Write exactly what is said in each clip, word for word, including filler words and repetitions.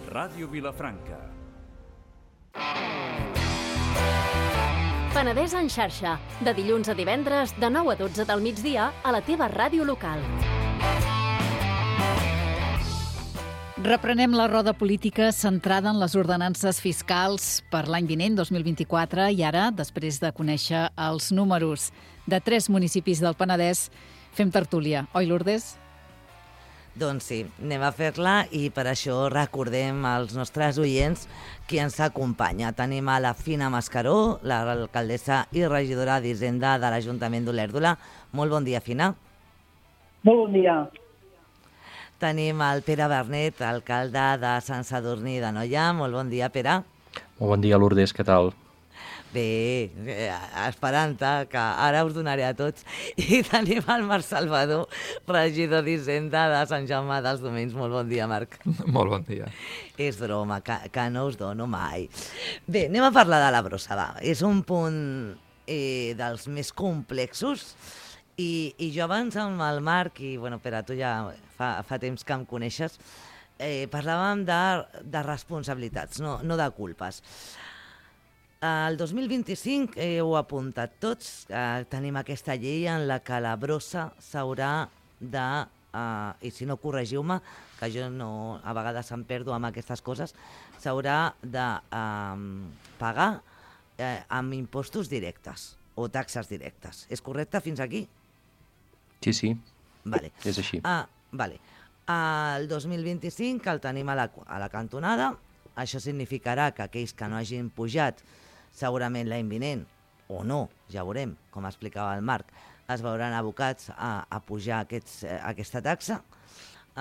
Ràdio Vilafranca. Penedès en xarxa, de dilluns a divendres, de nou a dotze del migdia, a la teva ràdio local. Reprenem la roda política centrada en les ordenances fiscals per l'any vinent, dos mil vint-i-quatre, i ara, després de conèixer els números de tres municipis del Penedès, fem tertúlia. Oi, Lourdes? Doncs sí, anem a fer-la i per això recordem als nostres oients qui ens acompanya. Tenim a la Fina Mascaró, l'alcaldessa i regidora d'Hisenda de l'Ajuntament d'Olèrdola. Molt bon dia, Fina. Molt bon dia. Tenim el Pere Bernet, alcalde de Sant Sadurní d'Anoia. Molt bon dia, Pere. Molt bon dia, Lourdes, què tal? Bé, esperant-te, que ara us donaré a tots. I tenim el Marc Salvador, regidor d'Hisenda de Sant Jaume dels Domenys. Molt bon dia, Marc. Molt bon dia. És broma, que, que no us dono mai. Bé, anem a parlar de la brossa, va. És un punt eh, dels més complexos i, i jo abans amb el Marc, i bueno, Pere, tu ja fa, fa temps que em coneixes, eh, parlàvem de, de responsabilitats, no, no de culpes. El dos mil vint-i-cinc eh, heu apuntat tots, eh, tenim aquesta llei en la que la brossa s'haurà de, eh, i si no corregiu-me, que jo no, a vegades em perdo amb aquestes coses, s'haurà de eh, pagar eh, amb impostos directes o taxes directes. És correcte fins aquí? Sí, sí, vale. És així. Ah, vale. El dos mil vint-i-cinc el tenim a la, a la cantonada. Això significarà que aquells que no hagin pujat segurament l'any vinent, o no, ja veurem, com explicava el Marc, es veuran abocats a, a pujar aquests, eh, aquesta taxa.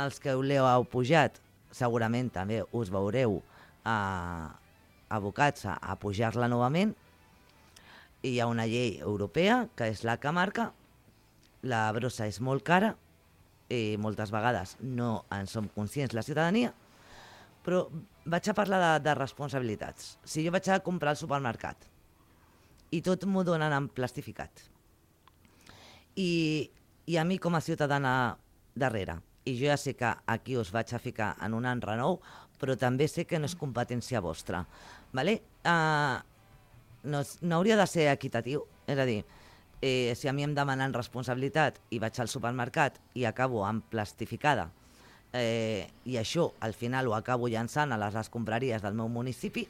Els que l'heu pujat, segurament també us veureu eh, abocats a, a pujar-la novament. I hi ha una llei europea, que és la que marca. La brossa és molt cara, i moltes vegades no en som conscients la ciutadania, però vaig a parlar de, de responsabilitats. Si jo vaig a comprar al supermercat i tot m'ho donen en plastificat i, i a mi com a ciutadana darrere, i jo ja sé que aquí us vaig a ficar en un enrenou, però també sé que no és competència vostra, vale? Uh, no, no hauria de ser equitatiu? És a dir, eh, si a mi em demanen responsabilitat i vaig al supermercat i acabo amb plastificada, Eh, i això al final ho acabo llançant a les escombraries del meu municipi,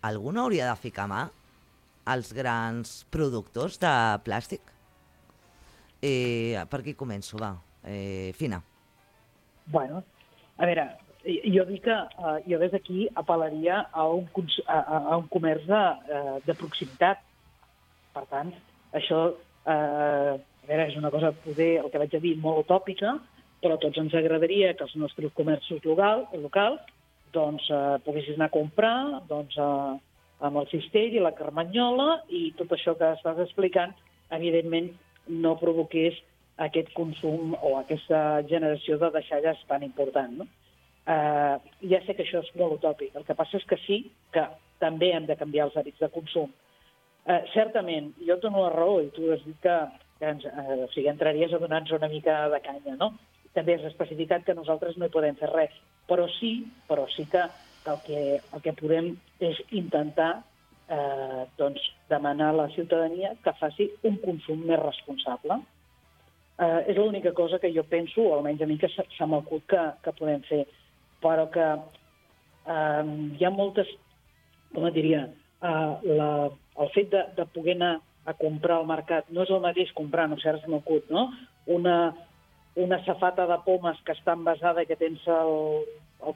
algú no hauria de ficar mà als grans productors de plàstic? Eh, per aquí començo, va. Eh, Fina. Bueno, a veure, jo dic que uh, jo des d'aquí apel·laria a un, a, a un comerç de, uh, de proximitat. Per tant, això uh, a veure, és una cosa, poder, el que vaig a dir, molt utòpica, però a tots ens agradaria que els nostres comerços local, locals doncs, eh, poguessin anar a comprar doncs, eh, amb el cistell i la carmanyola i tot això que estàs explicant, evidentment, no provoqués aquest consum o aquesta generació de deixalles tan important. No? Eh, ja sé que això és molt utòpic. El que passa és que sí que també hem de canviar els hàbits de consum. Eh, certament, jo et dono la raó i tu has dit que, que ens, eh, o sigui, entraries a donar-nos una mica de canya, no? També és especificat que nosaltres no hi podem fer res, però sí, però sí que el que, el que podem és intentar eh, doncs, demanar a la ciutadania que faci un consum més responsable. Eh, és l'única cosa que jo penso, o almenys a mi que se m'ha acut que, que podem fer, però que eh, hi ha moltes, com et diria, eh, la, el fet de, de poder anar a comprar al mercat no és el mateix comprar, no sé, ara se m'ha acut, no? Una una safata de pomes que està envasada i que tens, el, el,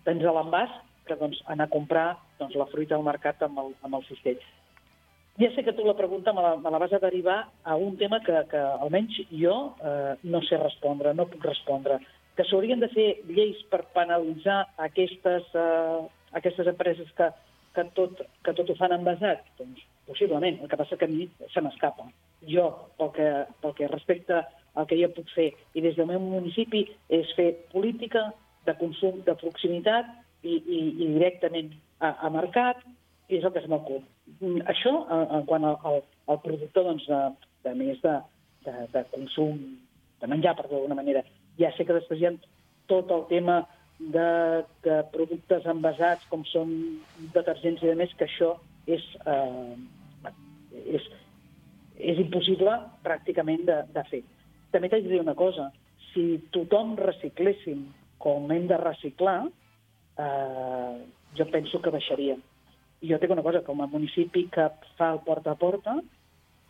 tens a l'envàs, que doncs, anar a comprar doncs, la fruita al mercat amb el, amb el cistell. Ja sé que tu la pregunta me la, me la vas a derivar a un tema que, que almenys jo eh, no sé respondre, no puc respondre. Que s'haurien de fer lleis per penalitzar aquestes, eh, aquestes empreses que, que, tot, que tot ho fan envasat? Doncs possiblement, el que passa que a mi se m'escapa. Jo, pel que, pel que respecta el que jo puc fer, i des del meu municipi, és fer política de consum de proximitat i, i, i directament a, a mercat, i és el que es m'ocupa. Això, en quant al, al, al productor, doncs, de, de més de, de, de consum, de menjar, per d'alguna manera. Ja sé que després hi ha tot el tema de, de productes envasats com són detergents i demés, que això és, eh, és, és impossible pràcticament de, de fer. També t'haig de dir una cosa, si tothom recicléssim com hem de reciclar, eh, jo penso que baixaria. I jo tinc una cosa, com a municipi que fa el porta a porta,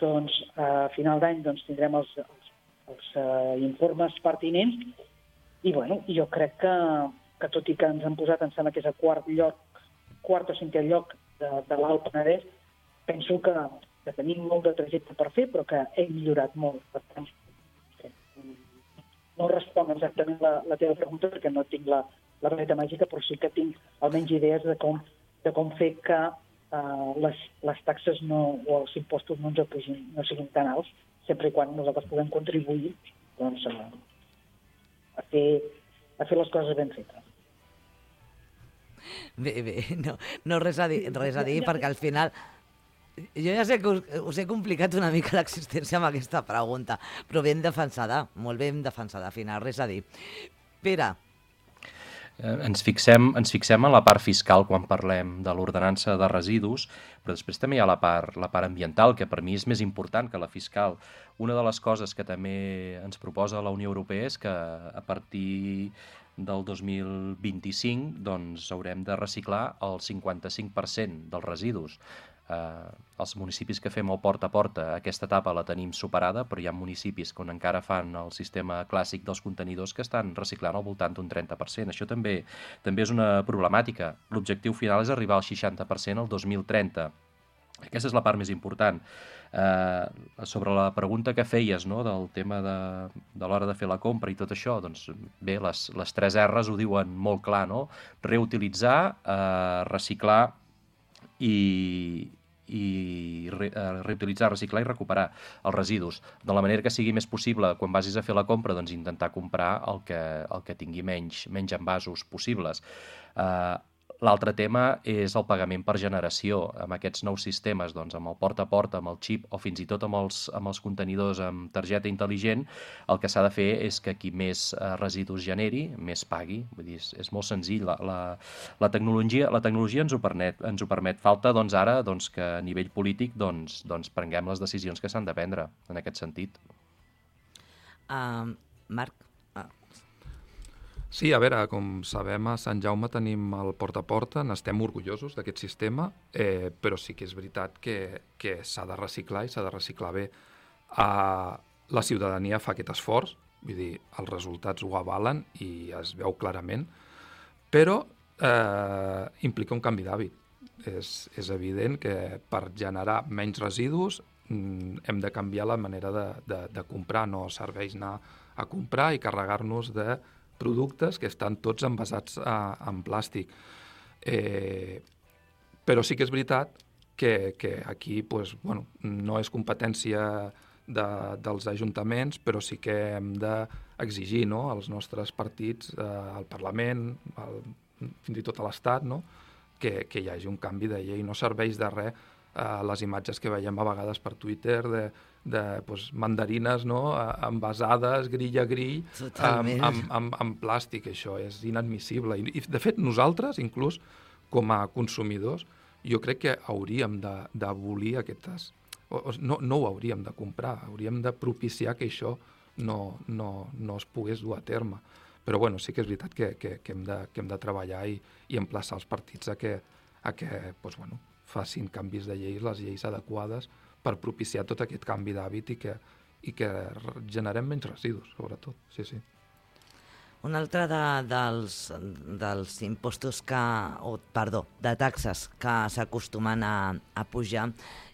doncs a final d'any doncs, tindrem els, els, els uh, informes pertinents i bueno, jo crec que, que tot i que ens han posat, em sembla que és a quart lloc, quart o cinquè lloc de, de l'Alt Penedès, penso que, que tenim molt de trajecte per fer, però que hem millorat molt. Per tant, no responc exactament la, la teva pregunta perquè no tinc la, la vareta màgica, però sí que tinc almenys idees de com, de com fer que uh, les, les taxes no, o els impostos no ens apugin, no siguin tan alts, sempre i quan nosaltres puguem contribuir doncs, a, a, fer, a fer les coses ben fetes. Bé, bé, no, no res a dir, res a dir perquè al final... Jo ja sé que us, us he complicat una mica l'existència amb aquesta pregunta, però ben defensada, molt ben defensada, al final, res a dir. Pere. Eh, ens fixem, ens fixem en la part fiscal quan parlem de l'ordenança de residus, però després també hi ha la part, la part ambiental, que per mi és més important que la fiscal. Una de les coses que també ens proposa la Unió Europea és que a partir del dos mil vint-i-cinc doncs, haurem de reciclar el cinquanta-cinc per cent dels residus. Eh, els municipis que fem el porta a porta, aquesta etapa la tenim superada, però hi ha municipis on encara fan el sistema clàssic dels contenidors que estan reciclant al voltant d'un trenta per cent. Això també, també és una problemàtica. L'objectiu final és arribar al seixanta per cent el dos mil trenta. Aquesta és la part més important. Eh, sobre la pregunta que feies, no?, del tema de, de l'hora de fer la compra i tot això, doncs bé, les, les tres R's ho diuen molt clar, no? Reutilitzar, eh, reciclar i, i re, uh, reutilitzar, reciclar i recuperar els residus. De la manera que sigui més possible, quan vagis a fer la compra, doncs intentar comprar el que, el que tingui menys, menys envasos possibles. Uh, L'altre tema és el pagament per generació. Amb aquests nous sistemes, doncs, amb el porta a porta, amb el xip o fins i tot amb els, amb els contenidors amb targeta intel·ligent, el que s'ha de fer és que qui més eh, residus generi, més pagui. Vull dir, és, és molt senzill. La, la, la, tecnologia, la tecnologia ens ho permet. Ens ho permet. Falta doncs, ara doncs, que a nivell polític doncs, doncs, prenguem les decisions que s'han de prendre en aquest sentit. Uh, Marc? Sí, a veure, com sabem, a Sant Jaume tenim el porta a porta, n'estem orgullosos d'aquest sistema, eh, però sí que és veritat que, que s'ha de reciclar i s'ha de reciclar bé. Uh, la ciutadania fa aquest esforç, vull dir, els resultats ho avalen i es veu clarament, però eh, implica un canvi d'hàbit. És, és evident que per generar menys residus mm, hem de canviar la manera de, de, de comprar, no serveix anar a comprar i carregar-nos de productes que estan tots envasats a, en plàstic. Eh, però sí que és veritat que, que aquí pues, bueno, no és competència de, dels ajuntaments, però sí que hem d'exigir, no?, als nostres partits, eh, al Parlament, al, fins i tot a l'Estat, no?, que, que hi hagi un canvi de llei. No serveix de res eh, les imatges que veiem a vegades per Twitter de de pues, mandarines, no?, envasades, grill a grill, amb, amb, amb, amb plàstic. Això és inadmissible. I, I, de fet, nosaltres, inclús, com a consumidors, jo crec que hauríem d'abolir aquestes... O, no, no ho hauríem de comprar, hauríem de propiciar que això no, no, no es pogués dur a terme. Però, bueno, sí que és veritat que, que, que, hem, de, que hem de treballar i, i emplaçar els partits a que, a que pues, bueno, facin canvis de lleis, les lleis adequades, per propiciar tot aquest canvi d'hàbit i que, i que generem menys residus, sobretot. Sí, sí. Un altre de, dels, dels impostos que, o, perdó, de taxes que s'acostumen a, a pujar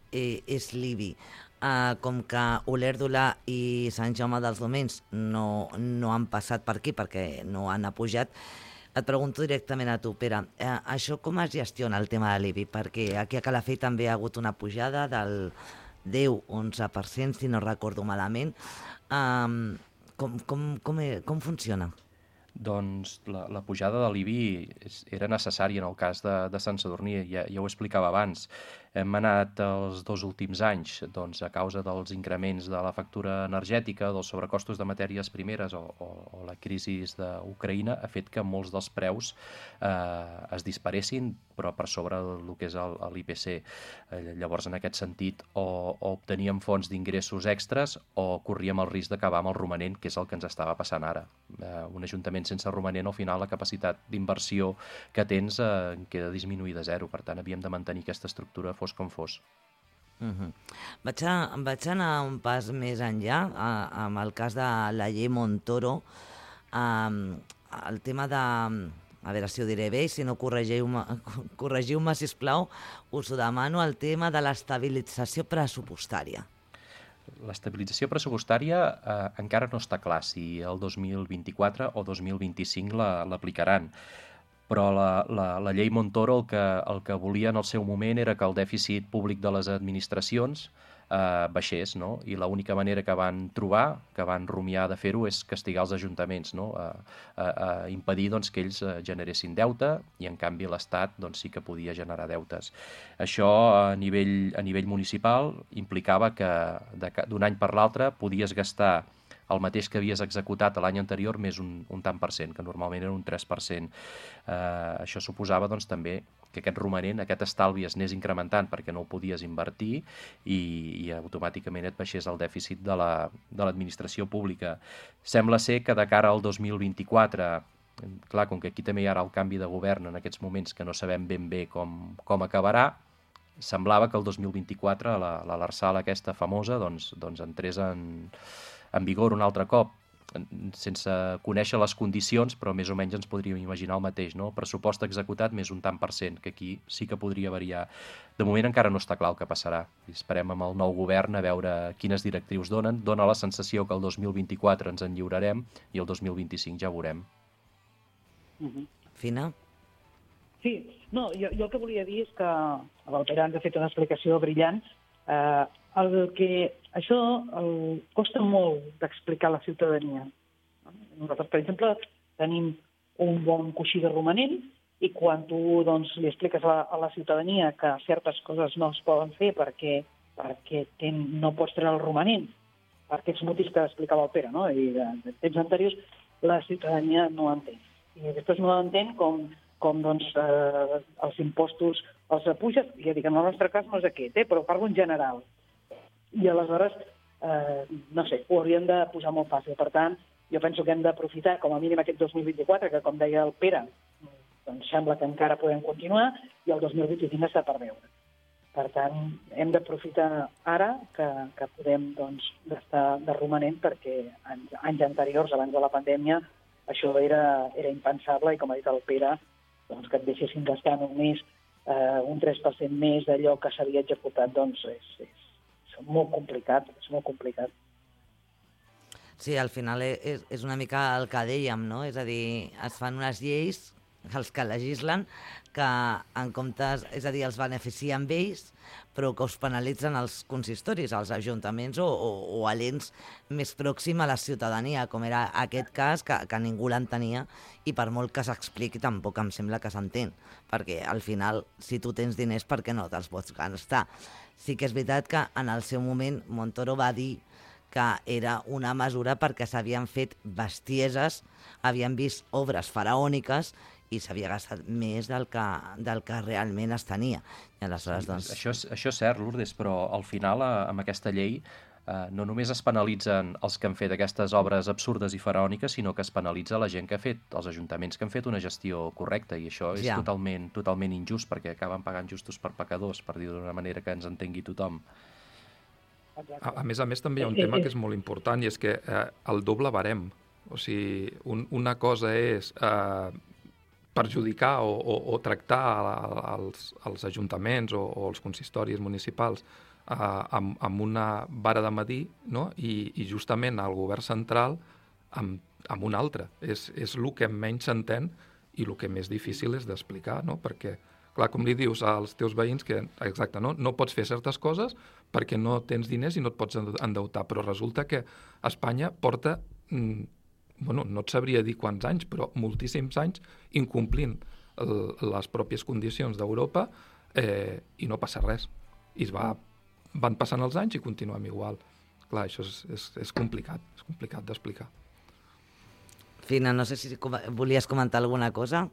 eh, és l'I B I. Eh, com que Olèrdola i Sant Jaume dels Domenys no, no han passat per aquí perquè no han pujat, et pregunto directament a tu, Pere, eh, això com es gestiona el tema de l'I B I? Perquè aquí a Calafell també ha hagut una pujada del deu a onze per cent, si no recordo malament. Um, com, com, com, com funciona? Doncs la, la pujada de l'I B I era necessària en el cas de, de Sant Sadurní, ja, ja ho explicava abans. Hem anat els dos últims anys, doncs, a causa dels increments de la factura energètica, dels sobrecostos de matèries primeres o, o, o la crisi d'Ucraïna, ha fet que molts dels preus eh, es disparessin, però per sobre del que és l'I P C. Eh, llavors, en aquest sentit, o, o obteníem fonts d'ingressos extres o corríem el risc d'acabar amb el romanent, que és el que ens estava passant ara. Eh, un ajuntament sense romanent, al final, la capacitat d'inversió que tens eh, queda disminuïda a zero. Per tant, havíem de mantenir aquesta estructura fos com fos. Uh-huh. Vaig, a, vaig anar un pas més enllà, a, amb el cas de la llei Montoro, um, el tema de... A veure si ho diré bé, si no corregiu-me, corregiu-me, sisplau, us ho demano, el tema de l'estabilització pressupostària. L'estabilització pressupostària eh, encara no està clar si el dos mil vint-i-quatre o dos mil vint-i-cinc l'aplicaran. Però la, la, la llei Montoro el que, el que volia en el seu moment era que el dèficit públic de les administracions eh, baixés, no? I l'única manera que van trobar, que van rumiar de fer-ho, és castigar els ajuntaments, no? A, a, a impedir doncs, que ells generessin deute i, en canvi, l'Estat doncs, sí que podia generar deutes. Això, a nivell, a nivell municipal, implicava que d'un any per l'altre podies gastar el mateix que havies executat l'any anterior més un, un tant per cent, que normalment era un tres per cent. Eh, això suposava doncs, també que aquest romanent, aquest estalvi es anés incrementant perquè no ho podies invertir i, i automàticament et baixés el dèficit de la, de l'administració pública. Sembla ser que de cara al dos mil vint-i-quatre, clar, com que aquí també hi ha el canvi de govern en aquests moments que no sabem ben bé com, com acabarà, semblava que el dos mil vint-i-quatre la, la l'Arsal aquesta famosa doncs, doncs entrés en en vigor un altre cop, sense conèixer les condicions, però més o menys ens podríem imaginar el mateix, no? Pressupost executat més un tant per cent, que aquí sí que podria variar. De moment encara no està clar el que passarà. Esperem amb el nou govern a veure quines directrius donen. Dóna la sensació que el dos mil vint-i-quatre ens en lliurarem i el dos mil vint-i-cinc ja ho veurem. Uh-huh. Fina? Sí, no, jo, jo el que volia dir és que el Pere ens ha fet una explicació brillant. Eh, el que això el, costa molt d'explicar a la ciutadania. Nosaltres, per exemple, tenim un bon coixí de romanent i quan tu doncs, li expliques a la, a la ciutadania que certes coses no es poden fer perquè, perquè ten, no pots treure el romanent, per aquests motius que explicava el Pere, no? I de, de temps anteriors, la ciutadania no ho entén. I després no ho entén com, com doncs, eh, els impostos els apuges, ja dic, en el nostre cas no és aquest, eh, però parlo en general. I aleshores, eh, no sé, ho hauríem de posar molt fàcil. Per tant, jo penso que hem d'aprofitar com a mínim aquest dos mil vint-i-quatre, que com deia el Pere, doncs sembla que encara podem continuar, i el dos mil vint-i-cinc està per veure. Per tant, hem d'aprofitar ara que, que podem doncs, gastar de romanent, perquè anys, anys anteriors, abans de la pandèmia, això era, era impensable, i com ha dit el Pere, doncs, que et deixessin gastar només eh, un tres per cent més d'allò que s'havia executat, doncs és, és és molt complicat, és molt complicat. Sí, al final és, és una mica el que dèiem, no? És a dir, es fan unes lleis, els que legislen, que en comptes, és a dir, els beneficien ells, però que us penalitzen els consistoris, els ajuntaments o, o, o a l'ens més pròxim a la ciutadania, com era aquest cas, que, que ningú l'entenia, i per molt que s'expliqui tampoc em sembla que s'entén, perquè al final, si tu tens diners, per què no te'ls pots gastar? Sí que és veritat que en el seu moment Montoro va dir que era una mesura perquè s'havien fet bestieses, havien vist obres faraòniques i s'havia gastat més del que, del que realment es tenia. I aleshores, doncs... Això és, això és cert, Lourdes, però al final, amb aquesta llei, eh, no només es penalitzen els que han fet aquestes obres absurdes i faraòniques, sinó que es penalitza la gent que ha fet, els ajuntaments que han fet una gestió correcta, i això és ja. totalment, totalment injust, perquè acaben pagant justos per pecadors, per dir-ho d'una manera que ens entengui tothom. A, a més a més, també hi ha un tema que és molt important, i és que eh, el doble barem. O sigui, un, una cosa és eh, perjudicar o, o, o tractar els, els ajuntaments o, o els consistoris municipals eh, amb, amb una vara de medir, no? I, i justament el govern central amb, amb una altra. És, és el que menys s'entén i el que més difícil és d'explicar, no? Perquè, clar, com li dius als teus veïns que, exacte, no, no pots fer certes coses perquè no tens diners i no et pots endeutar, però resulta que Espanya porta mm, bueno, no et sabria dir quants anys, però moltíssims anys incomplint el, les pròpies condicions d'Europa eh, i no passa res. I es va, van passant els anys i continuem igual. Clar, això és, és, és complicat, és complicat d'explicar. Fina, no sé si com, volies comentar alguna cosa?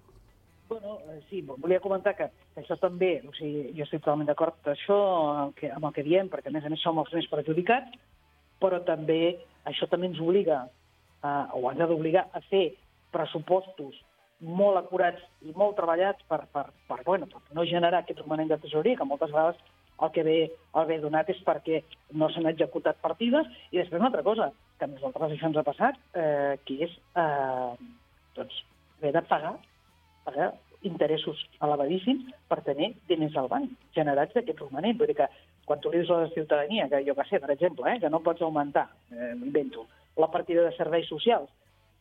Bueno, sí, volia comentar que això també, o sigui, jo estic totalment d'acord amb això, amb el, que, amb el que diem, perquè a més a més som els més perjudicats, però també això també ens obliga, eh, o ens ha d'obligar a fer pressupostos molt acurats i molt treballats per, per, per, bueno, per no generar aquest romanent de tesoreria, que moltes vegades el que ve, el ve donat és perquè no s'han executat partides, i després una altra cosa, que a nosaltres això ens ha passat, eh, que és eh, doncs, haver de pagar pagar interessos elevadíssims per tenir diners al banc generats d'aquest romanent. Vull dir que quan tu li dius a la ciutadania, que jo que sé, per exemple, eh, que no pots augmentar, eh, m'invento, la partida de serveis socials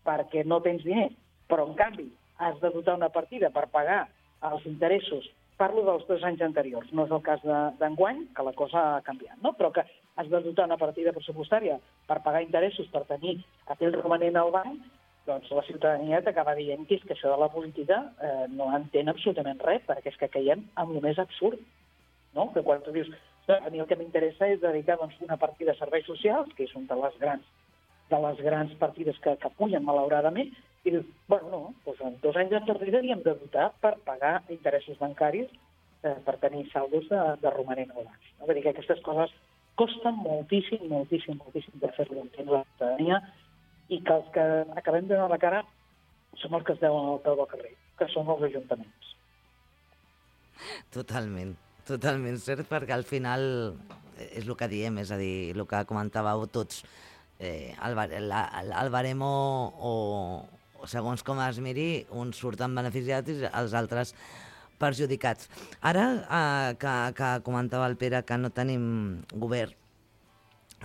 perquè no tens diners, però en canvi has de dotar una partida per pagar els interessos, parlo dels dos anys anteriors, no és el cas d'enguany, que la cosa ha canviat, no? Però que has de dotar una partida pressupostària per pagar interessos, per tenir aquell romanent al banc, doncs la ciutadania t'acaba dient que és que això de la política eh, no entén absolutament res, perquè és que caiem en el més absurd, no? Que quan tu dius, a mi el que m'interessa és dedicar doncs, una partida a serveis socials, que és una de les grans, de les grans partides que, que pugen malauradament, i dius, bueno, no, doncs en dos anys enrere hi hem de dotar per pagar interessos bancaris eh, per tenir saldos de, de romanent al banc. No? Vull dir que aquestes coses costen moltíssim, moltíssim, moltíssim de fer-lo entendre la ciutadania, i que els que acabem de donar la cara som els que es deuen al peu del carrer, que són els ajuntaments. Totalment, totalment cert, perquè al final és el que diem, és a dir, el que comentàveu tots, eh, el, la, el baremo o, o segons com es miri, uns surten beneficiats i els altres perjudicats. Ara eh, que, que comentava el Pere que no tenim govern,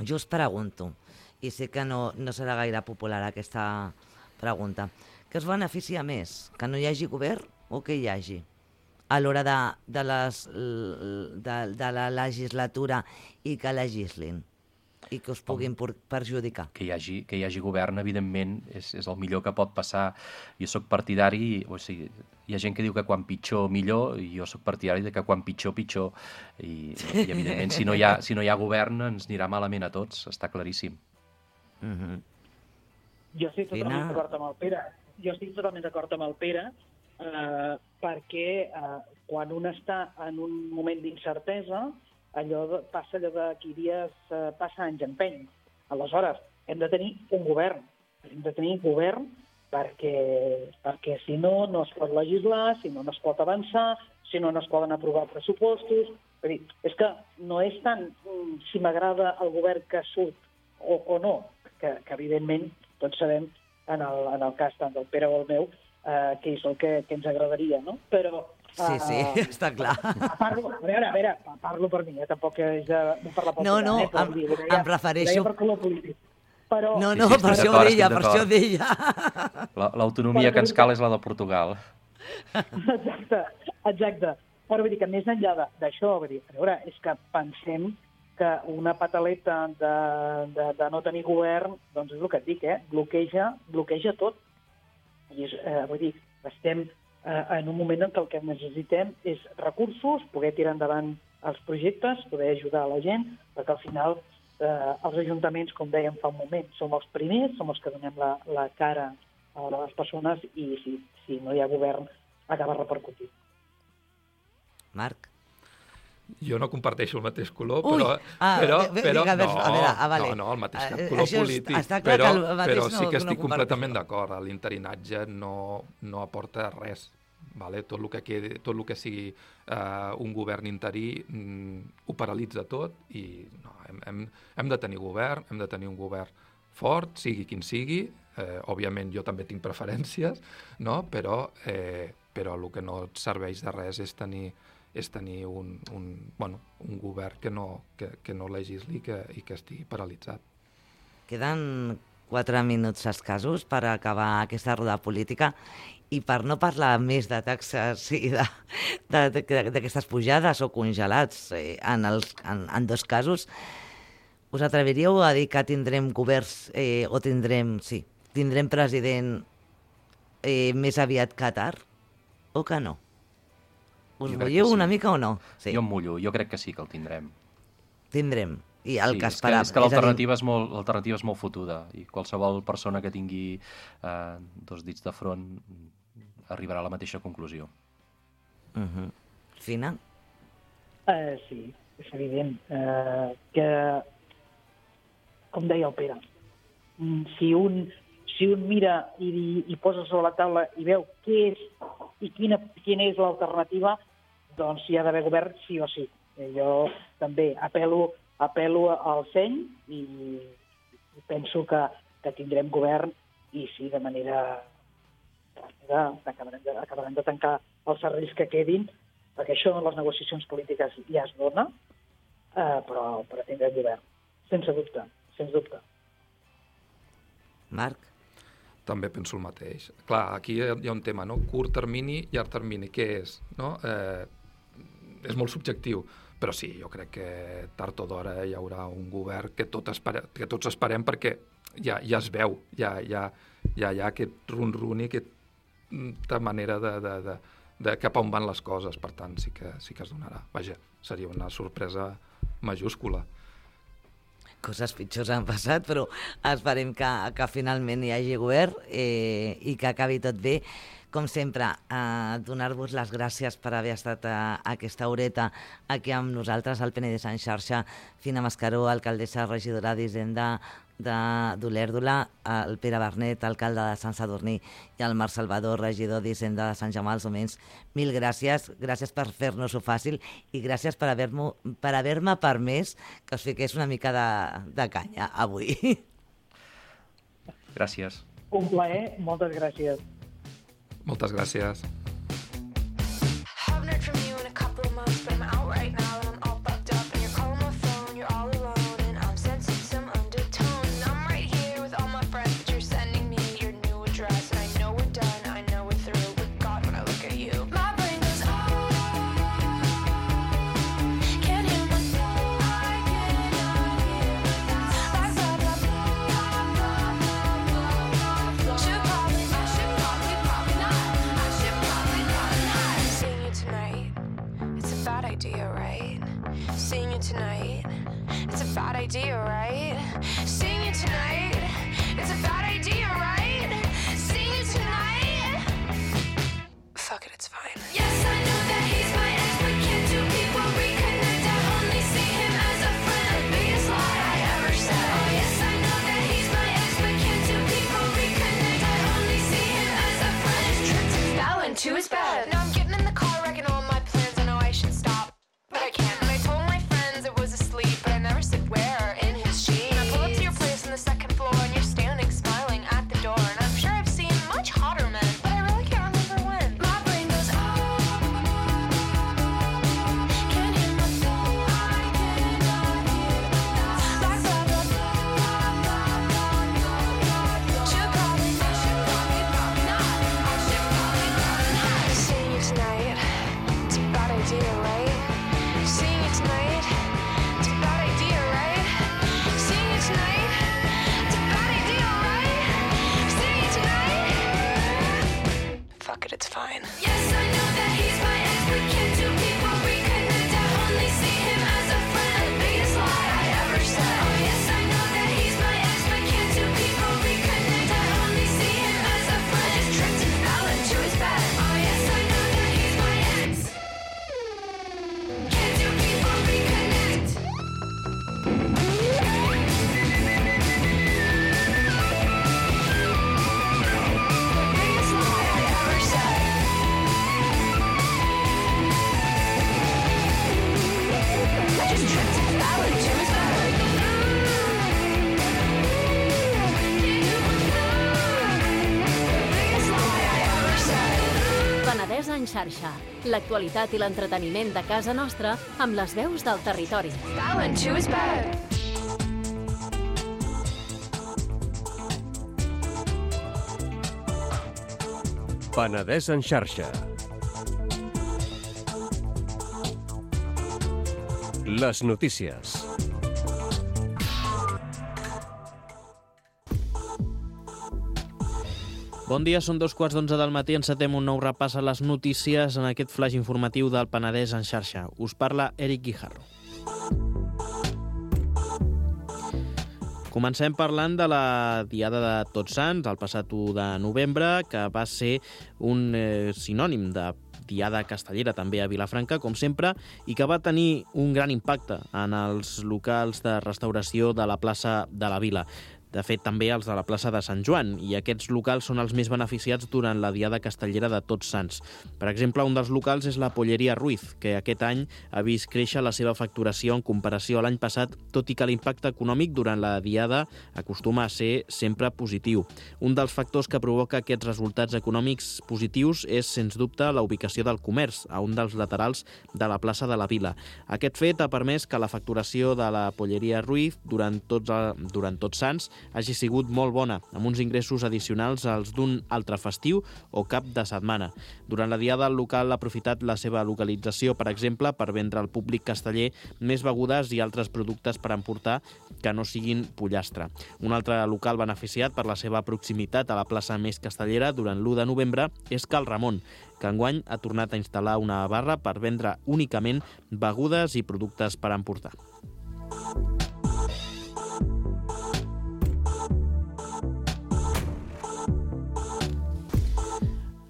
jo us pregunto, i sé que no, no serà gaire popular aquesta pregunta, què us beneficia més? Que no hi hagi govern o que hi hagi? A l'hora de, de, les, de, de la legislatura i que legislin i que us puguin perjudicar. Que hi hagi, que hi hagi govern, evidentment, és, és el millor que pot passar. Jo sóc partidari, o sigui, hi ha gent que diu que quan pitjor, millor, i jo sóc partidari de que quan pitjor, pitjor. I, i evidentment, si no, hi ha, si no hi ha govern, ens anirà malament a tots, està claríssim. Uh-huh. Jo estic totalment d'acord amb el Pere. Jo estic totalment d'acord amb el Pere eh, perquè eh, quan un està en un moment d'incertesa, allò de, passa allò de qui dies eh, passa anys empeny. Aleshores, hem de tenir un govern. Hem de tenir govern perquè, perquè si no, no es pot legislar, si no, no es pot avançar, si no, no es poden aprovar pressupostos. És dir, és que no és tant um, si m'agrada el govern que surt o, o no, que, que evidentment tots sabem, en el, en el cas tant del Pere o el meu, eh, que és el que, que ens agradaria, no? Però... Eh, sí, sí, està clar. Parlo, a veure, a veure, parlo per mi, eh? Tampoc és de, de parlar pel no, no, eh? em, dir, deia, em refereixo... per color polític. Però... No, no, sí, sí, per això ho deia, per això ho deia. L'autonomia que ens cal és la de Portugal. Exacte, exacte. Però vull dir que més enllà d'això, vull dir, a veure, és que pensem que una pataleta de, de, de no tenir govern, doncs és el que et dic, eh? bloqueja, bloqueja tot. I és, eh, vull dir, estem eh, en un moment en què el que necessitem és recursos, poder tirar endavant els projectes, poder ajudar a la gent, perquè al final eh, els ajuntaments, com dèiem fa un moment, som els primers, som els que donem la, la cara a les persones i si, si no hi ha govern acaba repercutint. Marc? Jo no comparteixo el mateix color, Ui, però... ah, però, ve, però digue, no, a veure, ah, vale. no, no, el mateix Uh, color polític, però, però sí que no, estic no completament d'acord. L'interinatge no, no aporta res. Vale? Tot, el que quedi, tot el que sigui uh, un govern interí mm, ho paralitza tot i no, hem, hem, hem de tenir govern, hem de tenir un govern fort, sigui quin sigui. Eh, òbviament jo també tinc preferències, no? però, eh, però el que no et serveix de res és tenir és tenir un, un, bueno, un govern que no, que, que no legisli que, i que estigui paralitzat. Queden quatre minuts escassos per acabar aquesta roda política i per no parlar més de taxes i d'aquestes pujades o congelats eh, en, els, en, en dos casos, us atreviríeu a dir que tindrem governs eh, o tindrem, sí, tindrem president eh, més aviat Qatar o que no? Us veieu sí. una mica o no? Sí. Jo em mullo, jo crec que sí que el tindrem. Tindrem. I el sí, que esperàvem. És que, és que l'alternativa és, molt, l'alternativa és molt fotuda i qualsevol persona que tingui eh, dos dits de front arribarà a la mateixa conclusió. Uh-huh. Fina? Uh, sí, és evident uh, que, com deia el Pere, si un, si un mira i, i posa sobre la taula i veu què és i quina, quina és l'alternativa, doncs hi ha d'haver govern sí o sí. Jo també apel·lo, apel·lo al seny i, i penso que, que tindrem govern i sí, de manera acabarem de, acabarem de tancar els serveis que quedin, perquè això en les negociacions polítiques ja es dona, eh, però, però tindrem govern, sense dubte, sens dubte. Marc? També penso el mateix. Clar, aquí hi ha un tema, no? Curt termini, llarg termini, què és? No? Eh, és molt subjectiu, però sí, jo crec que tard o d'hora hi haurà un govern que, tot espere, que tots esperem perquè ja, ja es veu, ja, ja, ja hi ha aquest run-run i aquesta manera de, de, de, de cap on van les coses, per tant sí que, sí que es donarà. Vaja, seria una sorpresa majúscula. Coses pitjors han passat, però esperem que, que finalment hi hagi govern eh, i que acabi tot bé. Com sempre, eh, donar-vos les gràcies per haver estat a, a aquesta horeta aquí amb nosaltres, al Penedès en xarxa, Fina Mascaró, alcaldessa regidora d'Hisenda d'Olèrdola, el Pere Bernet, alcalde de Sant Sadurní, i el Marc Salvador, regidor d'Hisenda de Sant Jaume dels Domenys. Mil gràcies, gràcies per fer-nos-ho fàcil i gràcies per haver-me per haver-me permès que us fiqués una mica de, de canya avui. Gràcies. Un plaer, moltes gràcies. Moltes gràcies. en xarxa. L'actualitat i l'entreteniment de casa nostra amb les veus del territori. Penedès en xarxa. Les notícies. Bon dia, són dos quarts d'onze del matí, encetem un nou repàs a les notícies en aquest flash informatiu del Penedès en xarxa. Us parla Eric Guijarro. Comencem parlant de la Diada de Tots Sants, el passat u de novembre, que va ser un eh, sinònim de Diada Castellera, també a Vilafranca, com sempre, i que va tenir un gran impacte en els locals de restauració de la plaça de la Vila. De fet, també els de la plaça de Sant Joan, i aquests locals són els més beneficiats durant la Diada Castellera de Tots Sants. Per exemple, un dels locals és la Polleria Ruiz, que aquest any ha vist créixer la seva facturació en comparació a l'any passat, tot i que l'impacte econòmic durant la Diada acostuma a ser sempre positiu. Un dels factors que provoca aquests resultats econòmics positius és, sens dubte, la ubicació del comerç, a un dels laterals de la plaça de la Vila. Aquest fet ha permès que la facturació de la Polleria Ruiz durant tots, durant tots Sants hagi sigut molt bona, amb uns ingressos addicionals als d'un altre festiu o cap de setmana. Durant la Diada, el local ha aprofitat la seva localització, per exemple, per vendre al públic casteller més begudes i altres productes per emportar que no siguin pollastre. Un altre local beneficiat per la seva proximitat a la plaça més castellera durant l'u de novembre és Cal Ramon, que enguany ha tornat a instal·lar una barra per vendre únicament begudes i productes per emportar.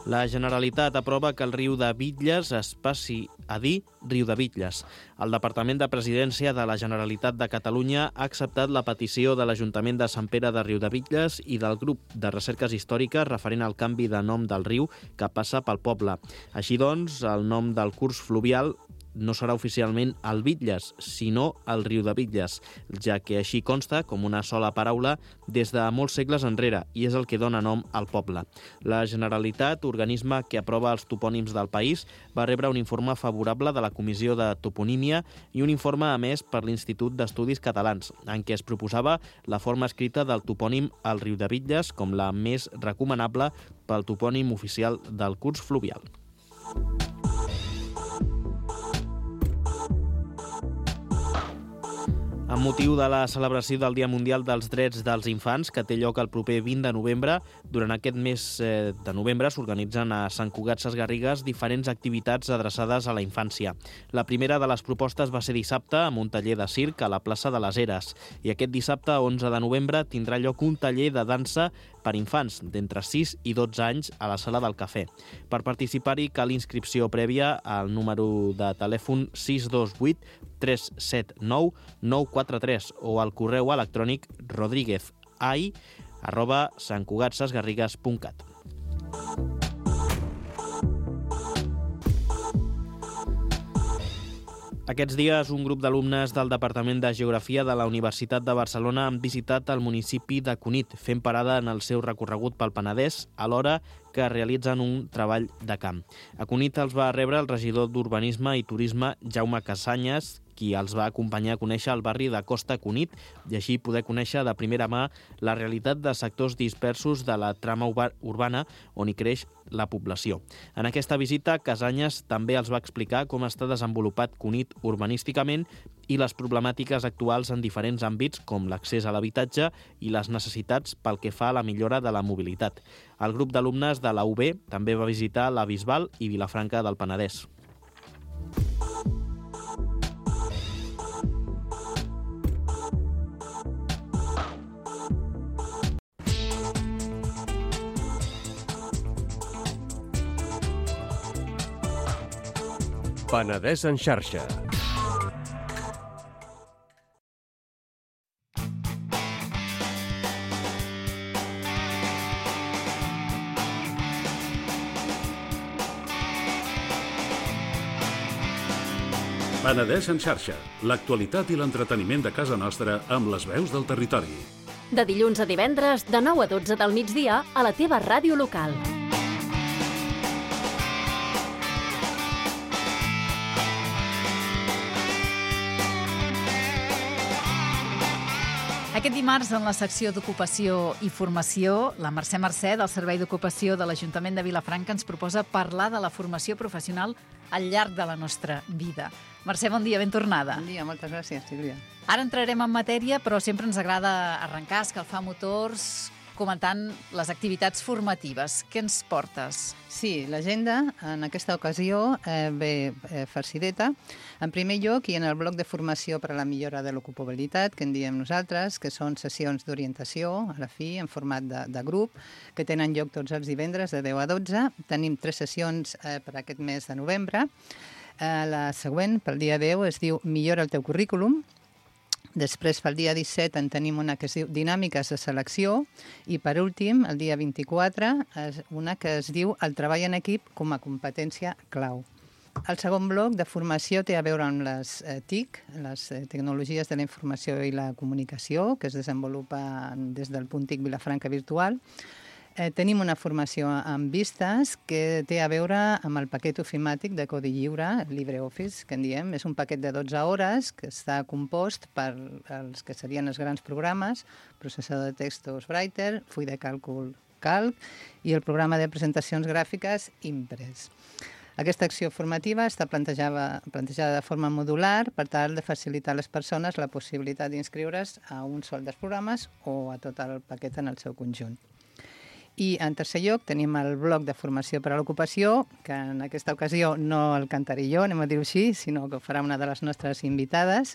La Generalitat aprova que el riu de Bitlles es passi a dir Riu de Bitlles. El Departament de Presidència de la Generalitat de Catalunya ha acceptat la petició de l'Ajuntament de Sant Pere de Riu de Bitlles i del grup de recerques històriques referent al canvi de nom del riu que passa pel poble. Així doncs, el nom del curs fluvial no serà oficialment el Bitlles, sinó el Riu de Bitlles, ja que així consta com una sola paraula des de molts segles enrere i és el que dona nom al poble. La Generalitat, organisme que aprova els topònims del país, va rebre un informe favorable de la Comissió de Toponímia i un informe emès per l'Institut d'Estudis Catalans, en què es proposava la forma escrita del topònim al Riu de Bitlles com la més recomanable pel topònim oficial del curs fluvial. Amb motiu de la celebració del Dia Mundial dels Drets dels Infants, que té lloc el proper vint de novembre, durant aquest mes de novembre s'organitzen a Sant Cugat Sesgarrigues diferents activitats adreçades a la infància. La primera de les propostes va ser dissabte amb un taller de circ a la plaça de les Eres, i aquest dissabte, onze de novembre, tindrà lloc un taller de dansa per infants d'entre sis i dotze anys a la Sala del Cafè. Per participar-hi cal inscripció prèvia al número de telèfon sis dos vuit tres set nou nou quatre tres o al correu electrònic rodríguezai arroba santcugatsesgarrigues punt cat. Aquests dies, un grup d'alumnes del Departament de Geografia de la Universitat de Barcelona han visitat el municipi de Cunit, fent parada en el seu recorregut pel Penedès, alhora que realitzen un treball de camp. A Cunit els va rebre el regidor d'Urbanisme i Turisme, Jaume Casanyes, qui els va acompanyar a conèixer el barri de Costa Cunit i així poder conèixer de primera mà la realitat de sectors dispersos de la trama urbana on hi creix la població. En aquesta visita, Casanyes també els va explicar com està desenvolupat Cunit urbanísticament i les problemàtiques actuals en diferents àmbits com l'accés a l'habitatge i les necessitats pel que fa a la millora de la mobilitat. El grup d'alumnes de la U B també va visitar la Bisbal i Vilafranca del Penedès. Penedès en xarxa. Penedès en xarxa, l'actualitat i l'entreteniment de casa nostra amb les veus del territori. De dilluns a divendres, de nou a dotze del migdia, a la teva ràdio local. Aquest dimarts, en la secció d'Ocupació i Formació, la Mercè Mercè, del Servei d'Ocupació de l'Ajuntament de Vilafranca, ens proposa parlar de la formació professional al llarg de la nostra vida. Mercè, bon dia, ben tornada. Bon dia, moltes gràcies, Sílvia. Ara entrarem en matèria, però sempre ens agrada arrencar, escalfar motors, comentant les activitats formatives. Què ens portes? Sí, l'agenda en aquesta ocasió eh, ve eh, farcideta. En primer lloc, i en el bloc de formació per a la millora de l'ocupabilitat, que en diem nosaltres, que són sessions d'orientació, a la fi, en format de, de grup, que tenen lloc tots els divendres de deu a dotze. Tenim tres sessions eh, per aquest mes de novembre. Eh, la següent, pel dia deu, es diu Millora el teu currículum. Després, pel dia disset, en tenim una que es diu Dinàmiques de selecció i, per últim, el dia vint-i-quatre, una que es diu El treball en equip com a competència clau. El segon bloc de formació té a veure amb les eh, T I C, les eh, tecnologies de la informació i la comunicació, que es desenvolupa des del punt T I C Vilafranca Virtual. Eh, tenim una formació amb vistes que té a veure amb el paquet ofimàtic de codi lliure, LibreOffice, que en diem. És un paquet de dotze hores que està compost per els que serien els grans programes, processador de textos Writer, full de càlcul Calc i el programa de presentacions gràfiques Impress. Aquesta acció formativa està plantejada, plantejada de forma modular per tal de facilitar a les persones la possibilitat d'inscriure's a un sol dels programes o a tot el paquet en el seu conjunt. I en tercer lloc tenim el bloc de formació per a l'ocupació, que en aquesta ocasió no el cantaré jo, anem a dir-ho així, sinó que ho farà una de les nostres invitades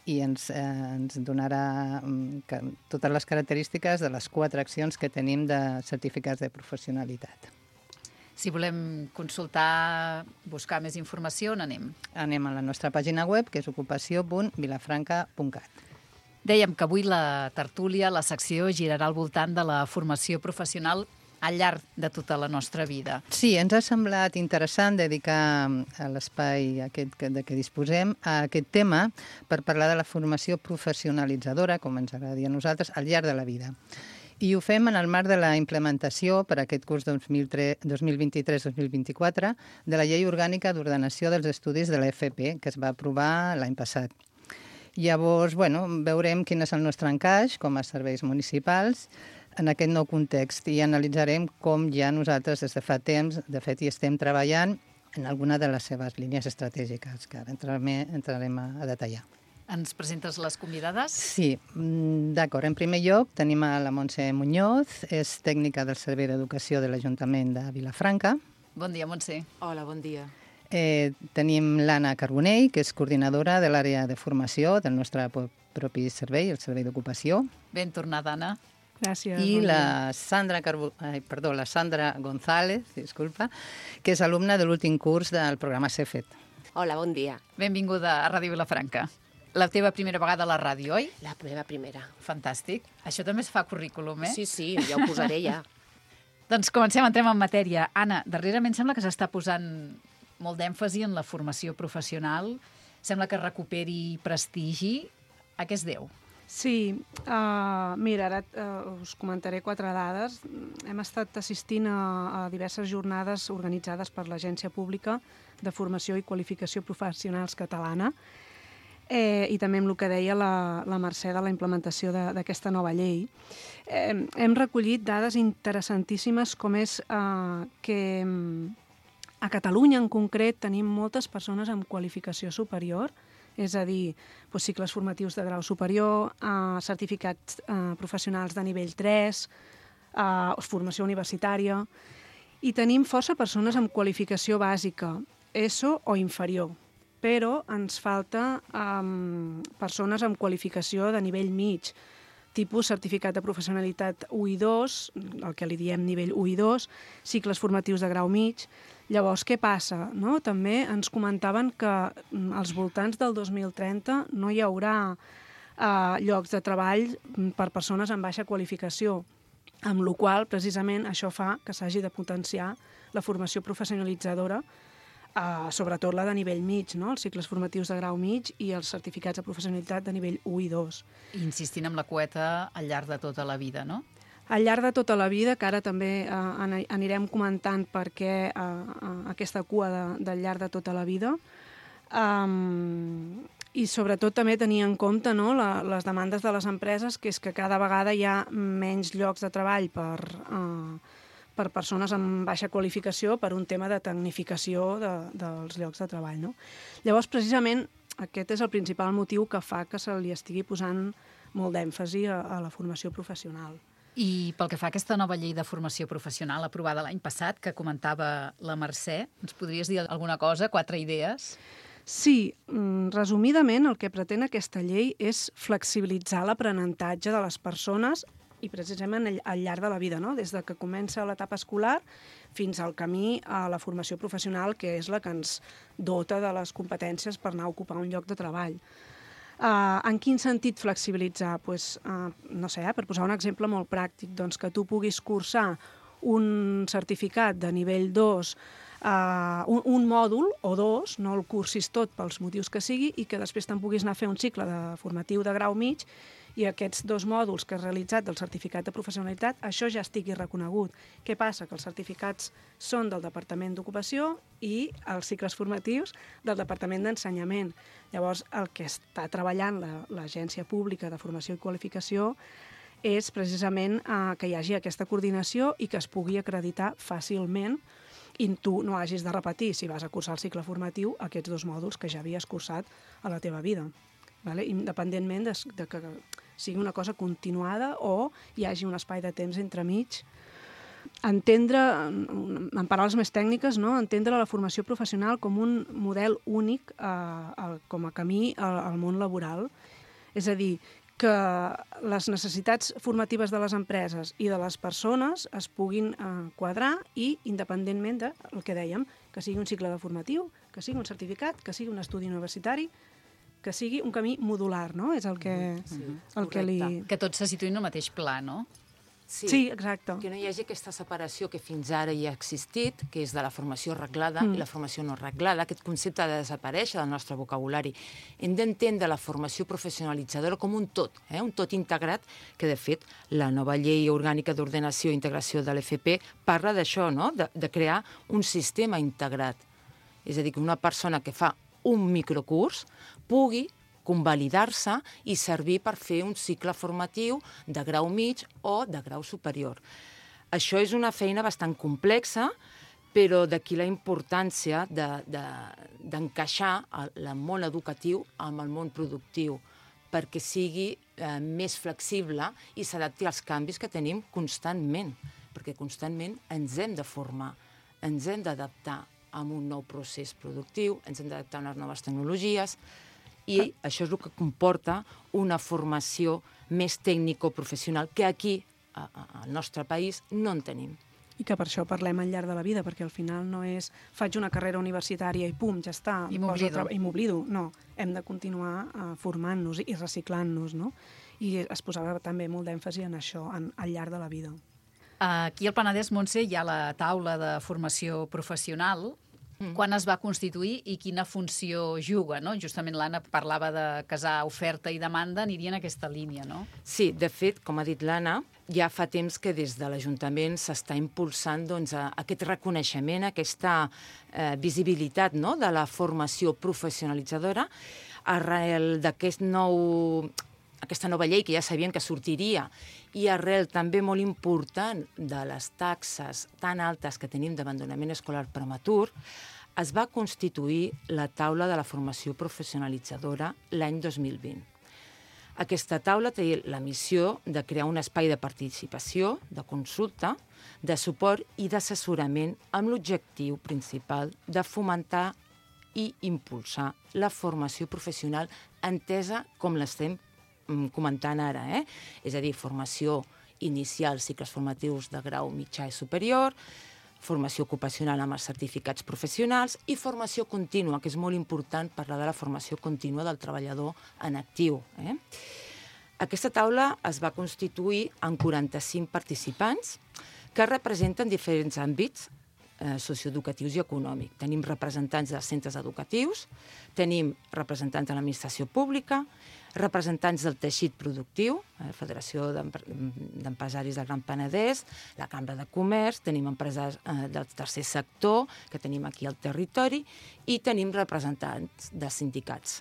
i ens, eh, ens donarà que, totes les característiques de les quatre accions que tenim de certificats de professionalitat. Si volem consultar, buscar més informació, on anem? Anem a la nostra pàgina web, que és ocupació punt vilafranca punt cat. Dèiem que avui la tertúlia, la secció, girarà al voltant de la formació professional al llarg de tota la nostra vida. Sí, ens ha semblat interessant dedicar l'espai aquest de què disposem a aquest tema per parlar de la formació professionalitzadora, com ens agrada dir a nosaltres, al llarg de la vida. I ho fem en el marc de la implementació per a aquest curs dos mil vint-i-tres dos mil vint-i-quatre de la Llei Orgànica d'Ordenació dels Estudis de l'E F P, que es va aprovar l'any passat. Llavors, bueno, veurem quin és el nostre encaix com a serveis municipals en aquest nou context i analitzarem com ja nosaltres des de fa temps, de fet, hi estem treballant en alguna de les seves línies estratègiques, que ara entrarem, entrarem a, a detallar. Ens presentes les convidades? Sí, d'acord. En primer lloc tenim a la Montse Muñoz, és tècnica del Servei d'Educació de l'Ajuntament de Vilafranca. Bon dia, Montse. Hola, bon dia. Eh, tenim l'Anna Carbonell, que és coordinadora de l'àrea de formació del nostre propi servei, el Servei d'Ocupació. Ben tornada, Anna. Gràcies. I la Sandra, Carbo... Ai, perdó, la Sandra González, disculpa, que és alumna de l'últim curs del programa CEFET. Hola, bon dia. Benvinguda a Ràdio Vilafranca. La teva primera vegada a la ràdio, oi? La meva primera. Fantàstic. Això també es fa currículum, eh? Sí, sí, ja ho posaré ja. Doncs comencem, entrem en matèria. Anna, darrerament sembla que s'està posant molt d'èmfasi en la formació professional. Sembla que recuperi prestigi. A què es deu? Sí, uh, mira, ara uh, us comentaré quatre dades. Hem estat assistint a, a diverses jornades organitzades per l'Agència Pública de Formació i Qualificació Professionals Catalana eh, i també amb el que deia la, la Mercè de la implementació d'aquesta nova llei. Eh, hem recollit dades interessantíssimes com és eh, que a Catalunya en concret tenim moltes persones amb qualificació superior, és a dir, doncs, cicles formatius de grau superior, eh, certificats eh, professionals de nivell tres, eh, formació universitària, i tenim força persones amb qualificació bàsica, ESO o inferior, però ens falta eh, persones amb qualificació de nivell mig, tipus certificat de professionalitat u i dos, el que li diem nivell u i dos, cicles formatius de grau mig. Llavors, què passa? No? També ens comentaven que als voltants del dos mil trenta no hi haurà eh, llocs de treball per persones amb baixa qualificació, amb la qual cosa, precisament, això fa que s'hagi de potenciar la formació professionalitzadora, eh, sobretot la de nivell mig, no? Els cicles formatius de grau mig i els certificats de professionalitat de nivell u i dos. Insistint amb la quota al llarg de tota la vida, no? Al llarg de tota la vida, que ara també eh, anirem comentant per què eh, aquesta cua de, del llarg de tota la vida, um, i sobretot també tenir en compte, no, la, les demandes de les empreses, que és que cada vegada hi ha menys llocs de treball per, eh, per persones amb baixa qualificació per un tema de tecnificació de, dels llocs de treball. No? Llavors, precisament, aquest és el principal motiu que fa que se li estigui posant molt d'èmfasi a, a la formació professional. I pel que fa a aquesta nova llei de formació professional aprovada l'any passat, que comentava la Mercè, ens podries dir alguna cosa, quatre idees? Sí, resumidament el que pretén aquesta llei és flexibilitzar l'aprenentatge de les persones i precisament al llarg de la vida, no? Des de que comença l'etapa escolar fins al camí a la formació professional, que és la que ens dota de les competències per anar a ocupar un lloc de treball. Uh, en quin sentit flexibilitzar? Pues, uh, no sé, eh, per posar un exemple molt pràctic, doncs que tu puguis cursar un certificat de nivell dos, uh, un, un mòdul o dos, no el cursis tot pels motius que sigui, i que després te'n puguis anar a fer un cicle de formatiu de grau mig i aquests dos mòduls que has realitzat del certificat de professionalitat, això ja estigui reconegut. Què passa? Que els certificats són del Departament d'Ocupació i els cicles formatius del Departament d'Ensenyament. Llavors, el que està treballant l'Agència Pública de Formació i Qualificació és precisament eh, que hi hagi aquesta coordinació i que es pugui acreditar fàcilment i tu no hagis de repetir, si vas a cursar el cicle formatiu, aquests dos mòduls que ja havies cursat a la teva vida. Vale? Independentment de, de que sigui una cosa continuada o hi hagi un espai de temps entremig. Entendre, en paraules més tècniques, no? Entendre la formació professional com un model únic eh, com a camí al, al món laboral. És a dir, que les necessitats formatives de les empreses i de les persones es puguin eh, quadrar i, independentment del que dèiem, que sigui un cicle de formatiu, que sigui un certificat, que sigui un estudi universitari, que sigui un camí modular, no? És el que, sí, el que li... Que tots se situïn en el mateix pla, no? Sí, sí, exacte. Que no hi hagi aquesta separació que fins ara hi ha existit, que és de la formació reglada mm. i la formació no reglada. Aquest concepte ha de desaparèixer del nostre vocabulari. Hem d'entendre la formació professionalitzadora com un tot, eh? un tot integrat, que de fet la nova llei orgànica d'ordenació i integració de l'F P parla d'això, no? de, de crear un sistema integrat. És a dir, que una persona que fa un microcurs pugui convalidar-se i servir per fer un cicle formatiu de grau mig o de grau superior. Això és una feina bastant complexa, però d'aquí la importància d'encaixar de, de, el món educatiu amb el món productiu, perquè sigui eh, més flexible i s'adapti als canvis que tenim constantment, perquè constantment ens hem de formar, ens hem d'adaptar a un nou procés productiu, ens hem d'adaptar a unes noves tecnologies, i això és el que comporta una formació més tècnico-professional que aquí, a, a, al nostre país, no en tenim. I que per això parlem al llarg de la vida, perquè al final no és faig una carrera universitària i pum, ja està, i m'oblido. I m'oblido. No, hem de continuar uh, formant-nos i reciclant-nos, no? I es posava també molt d'èmfasi en això, en, al llarg de la vida. Aquí al Penedès, Montse, hi ha la taula de formació professional. Mm. Quan es va constituir i quina funció juga, no? Justament l'Anna parlava de casar oferta i demanda, aniria en aquesta línia, no? Sí, de fet, com ha dit l'Anna, ja fa temps que des de l'Ajuntament s'està impulsant doncs, aquest reconeixement, aquesta eh, visibilitat, no?, de la formació professionalitzadora arrel d'aquest nou... aquesta nova llei que ja sabien que sortiria i arrel també molt important de les taxes tan altes que tenim d'abandonament escolar prematur, es va constituir la taula de la formació professionalitzadora l'any dos mil vint. Aquesta taula té la missió de crear un espai de participació, de consulta, de suport i d'assessorament amb l'objectiu principal de fomentar i impulsar la formació professional entesa com l'estem comentant ara, eh? És a dir, formació inicial, cicles formatius de grau mitjà i superior, formació ocupacional amb els certificats professionals i formació contínua, que és molt important parlar de la formació contínua del treballador en actiu. Eh? Aquesta taula es va constituir amb quaranta-cinc participants que representen diferents àmbits eh, socioeducatius i econòmics. Tenim representants dels centres educatius, tenim representants de l'administració pública, representants del teixit productiu, la Federació d'Empresaris del Gran Penedès, la Cambra de Comerç, tenim empresaris eh, del tercer sector, que tenim aquí al territori, i tenim representants de sindicats.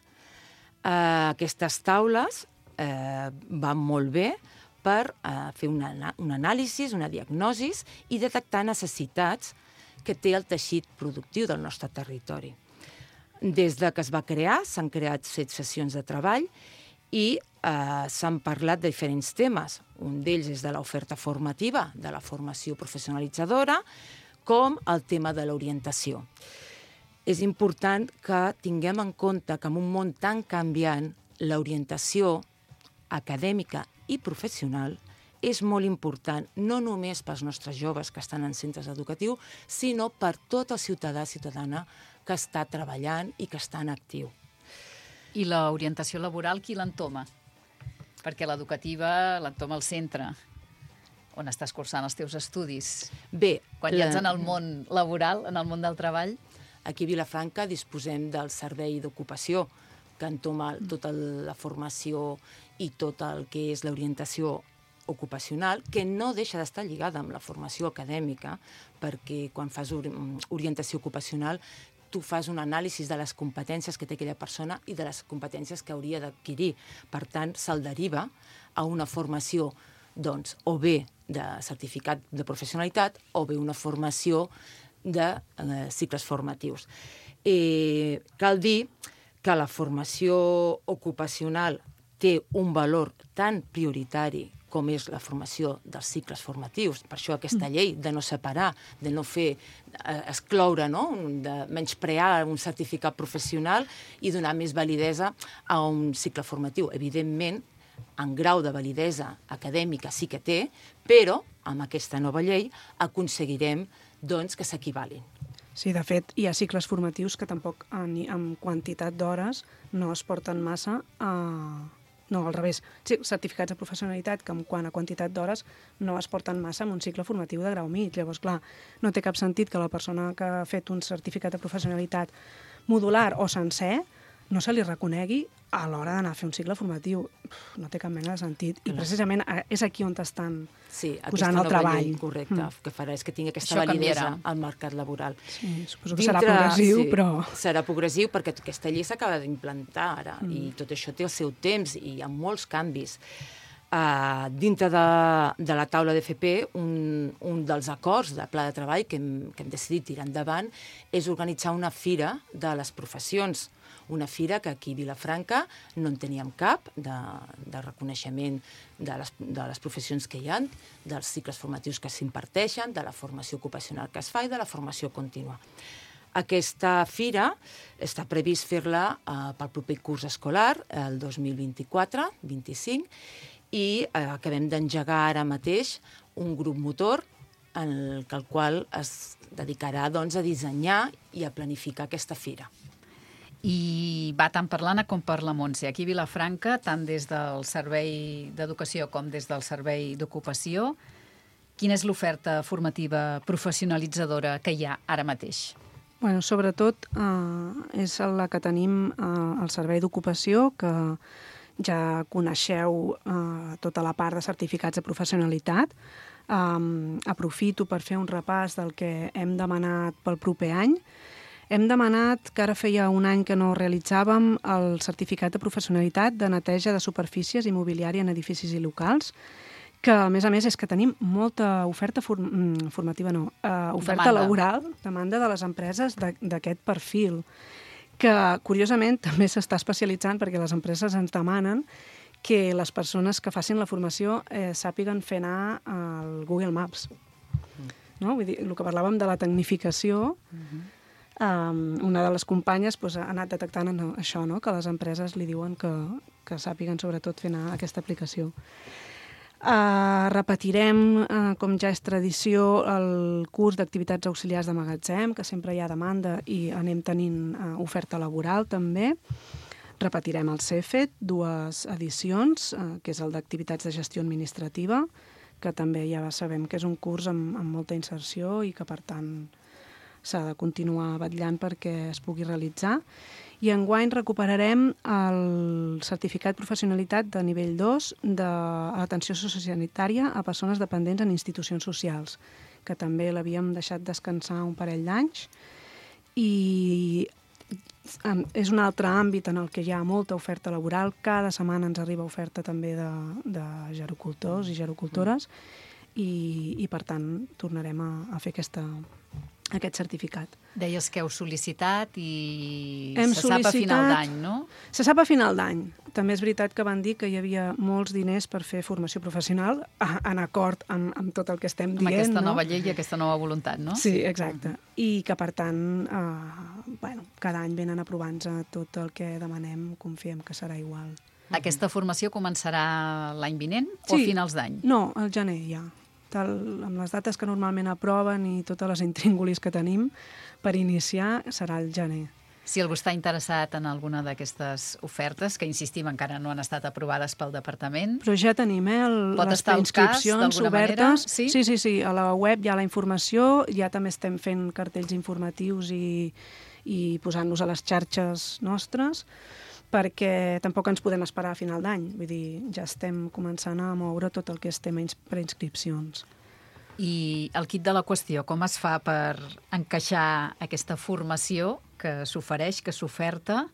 Eh, aquestes taules eh, van molt bé per eh, fer una, una anàlisi, una diagnosi i detectar necessitats que té el teixit productiu del nostre territori. Des de que es va crear, s'han creat set sessions de treball i eh, s'han parlat de diferents temes. Un d'ells és de l'oferta formativa, de la formació professionalitzadora, com el tema de l'orientació. És important que tinguem en compte que en un món tan canviant, l'orientació acadèmica i professional és molt important, no només pels nostres joves que estan en centres educatius, sinó per tot el ciutadà ciutadana que està treballant i que està en actiu. I l'orientació laboral, qui l'entoma? Perquè l'educativa l'entoma al centre, on estàs cursant els teus estudis. Bé, quan ja ets en el món laboral, en el món del treball. Aquí a Vilafranca disposem del servei d'ocupació, que entoma tota la formació i tot el que és l'orientació ocupacional, que no deixa d'estar lligada amb la formació acadèmica, perquè quan fas orientació ocupacional tu fas un anàlisi de les competències que té aquella persona i de les competències que hauria d'adquirir. Per tant, se'l deriva a una formació, doncs, o bé de certificat de professionalitat o bé una formació de eh, cicles formatius. Eh, cal dir que la formació ocupacional té un valor tan prioritari com és la formació dels cicles formatius. Per això aquesta llei de no separar, de no fer eh, excloure, no? De menysprear un certificat professional i donar més validesa a un cicle formatiu. Evidentment, en grau de validesa acadèmica sí que té, però amb aquesta nova llei aconseguirem doncs, que s'equivalin. Sí, de fet, hi ha cicles formatius que tampoc en, en quantitat d'hores no es porten massa a... No, al revés. Sí, certificats de professionalitat que en quant a quantitat d'hores no es porten massa en un cicle formatiu de grau mig. Llavors, clar, no té cap sentit que la persona que ha fet un certificat de professionalitat modular o sencer no se li reconegui a l'hora d'anar a fer un cicle formatiu. No té cap mena de sentit. I precisament és aquí on estan sí, posant el treball. Llei, correcte, mm. que farà és que tingui aquesta Això validesa canviarà. al mercat laboral. Sí, suposo que Dintre, serà progressiu, sí, però... Serà progressiu perquè aquesta llei s'acaba d'implantar ara mm. i tot això té el seu temps i hi ha molts canvis. Uh, dintre de, de la taula d'F P, un, un dels acords de pla de treball que hem, que hem decidit tirar endavant és organitzar una fira de les professions. Una fira que aquí a Vilafranca no en teníem cap, de, de reconeixement de les, de les professions que hi ha, dels cicles formatius que s'imparteixen, de la formació ocupacional que es fa i de la formació contínua. Aquesta fira està previst fer-la eh, pel proper curs escolar, el dos mil vint-i-quatre vint-i-cinc, i eh, acabem d'engegar ara mateix un grup motor en el, el qual es dedicarà doncs, a dissenyar i a planificar aquesta fira. I va tant per l'Anna com per la Montse. Aquí a Vilafranca, tant des del Servei d'Educació com des del Servei d'Ocupació, quina és l'oferta formativa professionalitzadora que hi ha ara mateix? Bueno, sobretot eh, és la que tenim eh, al Servei d'Ocupació, que ja coneixeu eh, tota la part de certificats de professionalitat. Um, aprofito per fer un repàs del que hem demanat pel proper any. Hem demanat, que ara feia un any que no realitzàvem, el certificat de professionalitat de neteja de superfícies i mobiliària en edificis i locals, que, a més a més, és que tenim molta oferta form formativa, no, uh, oferta demanda. laboral, demanda de les empreses d'aquest perfil, que, curiosament, també s'està especialitzant perquè les empreses ens demanen que les persones que facin la formació eh, sàpiguen fer anar al Google Maps. No? Vull dir, el que parlàvem de la tecnificació, uh-huh. Um, una de les companyes pues, ha anat detectant no, això, no? Que les empreses li diuen que, que sàpiguen sobretot fer anar aquesta aplicació. Uh, repetirem, uh, com ja és tradició, el curs d'activitats auxiliars de magatzem, que sempre hi ha demanda i anem tenint uh, oferta laboral també. Repetirem el C E F E T, dues edicions, uh, que és el d'activitats de gestió administrativa, que també ja sabem que és un curs amb, amb molta inserció i que, per tant, s'ha de continuar vetllant perquè es pugui realitzar. I enguany recuperarem el certificat professionalitat de nivell dos d'atenció sociosanitària a persones dependents en institucions socials, que també l'havíem deixat descansar un parell d'anys. I és un altre àmbit en el que hi ha molta oferta laboral. Cada setmana ens arriba oferta també de, de gerocultors i gerocultores i, i per tant, tornarem a, a fer aquesta aquest certificat. Deies que heu sol·licitat i Hem se sap a final d'any, no? Se sap a final d'any. També és veritat que van dir que hi havia molts diners per fer formació professional, en acord amb, amb tot el que estem dient. Amb aquesta no? nova llei i aquesta nova voluntat, no? Sí, exacte. I que, per tant, eh, bueno, cada any venen aprovant-nos tot el que demanem, confiem que serà igual. Aquesta formació començarà l'any vinent o Sí. a finals d'any? No, al gener ja. Tal, amb les dates que normalment aproven i totes les intríngulis que tenim per iniciar serà el gener. Si algú està interessat en alguna d'aquestes ofertes, que insistim encara no han estat aprovades pel departament... Però ja tenim eh, el, Pot les estar al cas, preinscripcions d'alguna obertes. manera? Sí? sí, sí, sí. A la web hi ha la informació, ja també estem fent cartells informatius i, i posant-los a les xarxes nostres, perquè tampoc ens podem esperar a final d'any. Vull dir, ja estem començant a moure tot el que és tema preinscripcions. I el kit de la qüestió, com es fa per encaixar aquesta formació que s'ofereix, que s'oferta,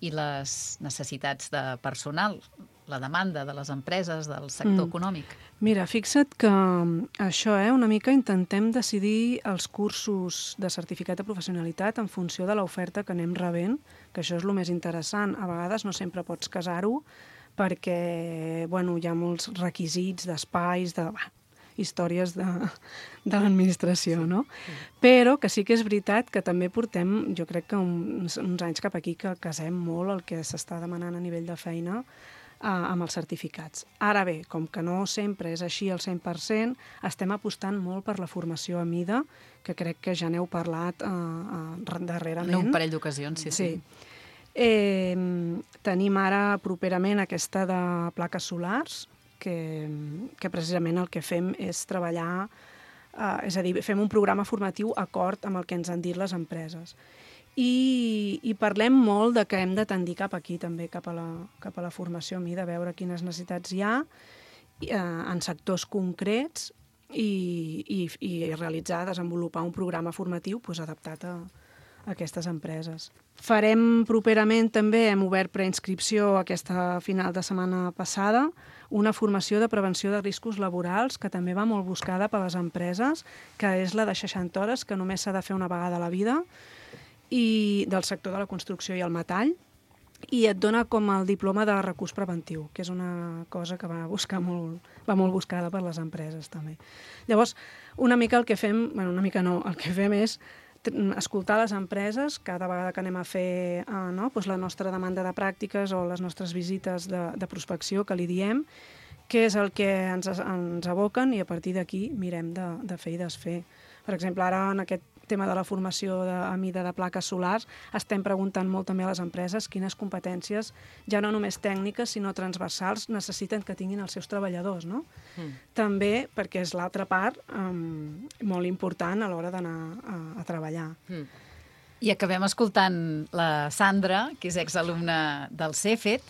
i les necessitats de personal, la demanda de les empreses, del sector Mm. econòmic? Mira, fixa't que això, eh, una mica intentem decidir els cursos de certificat de professionalitat en funció de l'oferta que anem rebent, que això és el més interessant. A vegades no sempre pots casar-ho perquè bueno, hi ha molts requisits d'espais, de... Bah, històries de, de l'administració, no? Però que sí que és veritat que també portem, jo crec que uns, uns anys cap aquí que casem molt el que s'està demanant a nivell de feina eh, amb els certificats. Ara bé, com que no sempre és així al cent per cent, estem apostant molt per la formació a mida, que crec que ja n'heu parlat eh, eh, darrerament. En un parell d'ocasions, sí, sí. sí. Eh, tenim ara properament aquesta de plaques solars, que, que precisament el que fem és treballar, eh, és a dir, fem un programa formatiu acord amb el que ens han dit les empreses. I, i parlem molt de que hem de tendir cap aquí també, cap a la, cap a la formació a mi, de veure quines necessitats hi ha eh, en sectors concrets i, i, i realitzar, desenvolupar un programa formatiu pues, adaptat a, a aquestes empreses. Farem properament també, hem obert preinscripció aquesta final de setmana passada, una formació de prevenció de riscos laborals que també va molt buscada per les empreses, que és la de seixanta hores, que només s'ha de fer una vegada a la vida, i del sector de la construcció i el metall, i et dona com el diploma de recurs preventiu, que és una cosa que va buscar molt, va molt buscada per les empreses també. Llavors, una mica el que fem, bueno, una mica no, el que fem és escoltar les empreses cada vegada que anem a fer eh, no? pues la nostra demanda de pràctiques o les nostres visites de, de prospecció, que li diem, què és el que ens, ens aboquen, i a partir d'aquí mirem de, de fer i desfer. Per exemple, ara en aquest tema de la formació de, a mida de plaques solars estem preguntant molt també a les empreses quines competències, ja no només tècniques, sinó transversals, necessiten que tinguin els seus treballadors, no? Mm. També perquè és l'altra part um, molt important a l'hora d'anar a, a treballar. Mm. I acabem escoltant la Sandra, que és exalumna del CEFET.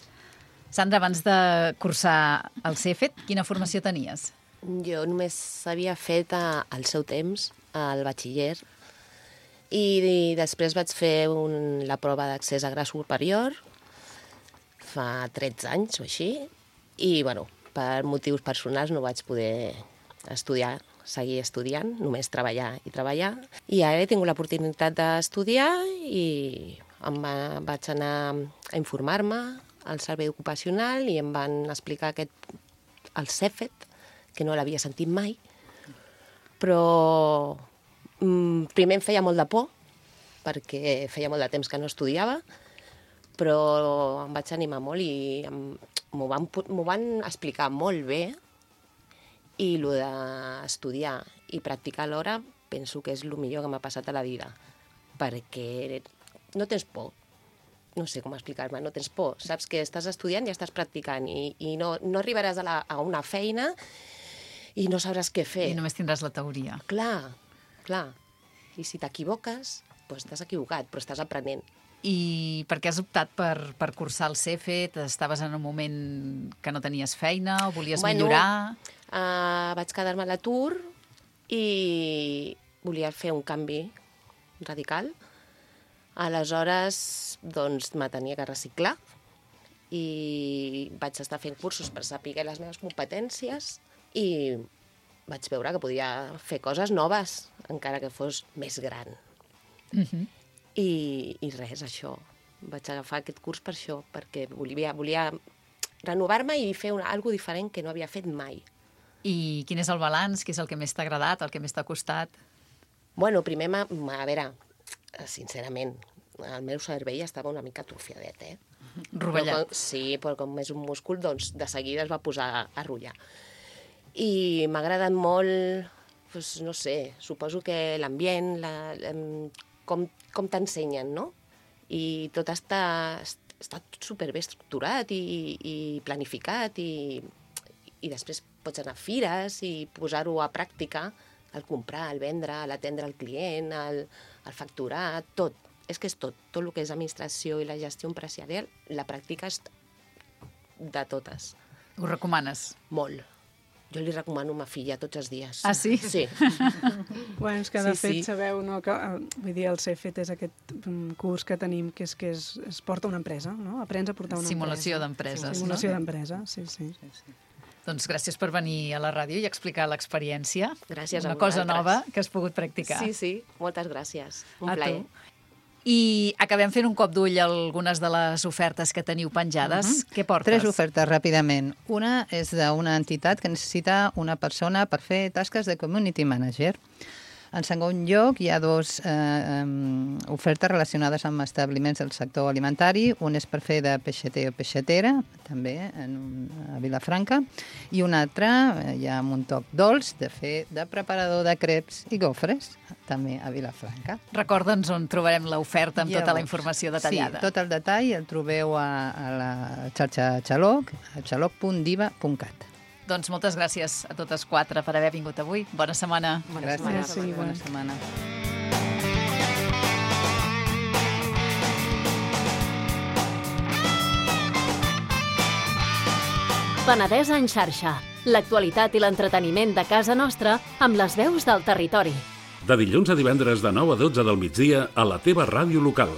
Sandra, abans de cursar el CEFET, quina formació tenies? Jo només havia fet a, al seu temps, al batxiller, i, i després vaig fer un, la prova d'accés a grau superior fa tretze anys o així, i bueno, per motius personals no vaig poder estudiar, seguir estudiant, només treballar i treballar. I ara he tingut l'oportunitat d'estudiar i em va, vaig anar a informar-me al servei ocupacional i em van explicar aquest, el CEFET, que no l'havia sentit mai, però mm, primer em feia molt de por, perquè feia molt de temps que no estudiava, però em vaig animar molt i m'ho van, m'ho van explicar molt bé, i el d'estudiar i practicar alhora penso que és el millor que m'ha passat a la vida, perquè no tens por, no sé com explicar-me, no tens por, saps que estàs estudiant i estàs practicant i, i no, no arribaràs a, la, a una feina i no sabràs què fer. I només tindràs la teoria. Clar, clar. I si t'equivoques, doncs t'has equivocat, però estàs aprenent. I per què has optat per, per cursar el CEFET? Estaves en un moment que no tenies feina o volies bueno, millorar? Uh, vaig quedar-me a l'atur i volia fer un canvi radical. Aleshores, doncs, me tenia que reciclar i vaig estar fent cursos per saber les meves competències i vaig veure que podia fer coses noves, encara que fos més gran. Uh-huh. I, I res, això. Vaig agafar aquest curs per això, perquè volia, volia renovar-me i fer una, algo diferent que no havia fet mai. I quin és el balanç? Què és el que més t'ha agradat, el que més t'ha costat? Bueno, primer, ma, ma, a veure, sincerament, el meu cervell estava una mica atrofiadet, eh? Rovellat. Però com, sí, però com és un múscul, doncs de seguida es va posar a rotllar. I m'ha agradat molt, doncs, no sé, suposo que l'ambient, la, com, com t'ensenyen, no? I tot està, està superbé estructurat i, i planificat i, i després pots anar a fires i posar-ho a pràctica, el comprar, el vendre, l'atendre el client, el, el facturar, tot. És que és tot, tot el que és administració i la gestió empresarial, la pràctica és de totes. Ho recomanes? Molt. Jo li recomano a ma filla tots els dies. Ah, sí? Sí. Bueno, és que de sí, fet sí. sabeu, no, que, vull dir, el C F T és aquest curs que tenim que és que es, es porta una empresa, no? Aprens a portar una Simulació empresa. d'empreses, Simulació no? d'empresa, sí, sí. sí, sí. Doncs gràcies per venir a la ràdio i explicar l'experiència. Gràcies a Una cosa vosaltres. nova que has pogut practicar. Sí, sí, moltes gràcies. Un A plaer. tu. I acabem fent un cop d'ull a algunes de les ofertes que teniu penjades. Uh-huh. Què portes? Tres ofertes, ràpidament. Una és d'una entitat que necessita una persona per fer tasques de community manager. En segon lloc, hi ha dues eh, um, ofertes relacionades amb establiments del sector alimentari. Un és per fer de peixater o peixatera, també en un, a Vilafranca, i un altre, eh, hi ha un toc dolç, de fer de preparador de creps i gofres, també a Vilafranca. Recorda'ns on trobarem l'oferta amb Llavors, tota la informació detallada. Sí, tot el detall el trobeu a, a la xarxa Xaloc, a xaloc punt diva punt cat. Doncs moltes gràcies a totes quatre per haver vingut avui. Bona setmana. Bona Gràcies, setmana. Bona setmana. Penedès en xarxa. L'actualitat i l'entreteniment de casa nostra amb les veus del territori. De dilluns a divendres de nou a dotze del migdia a la teva ràdio local.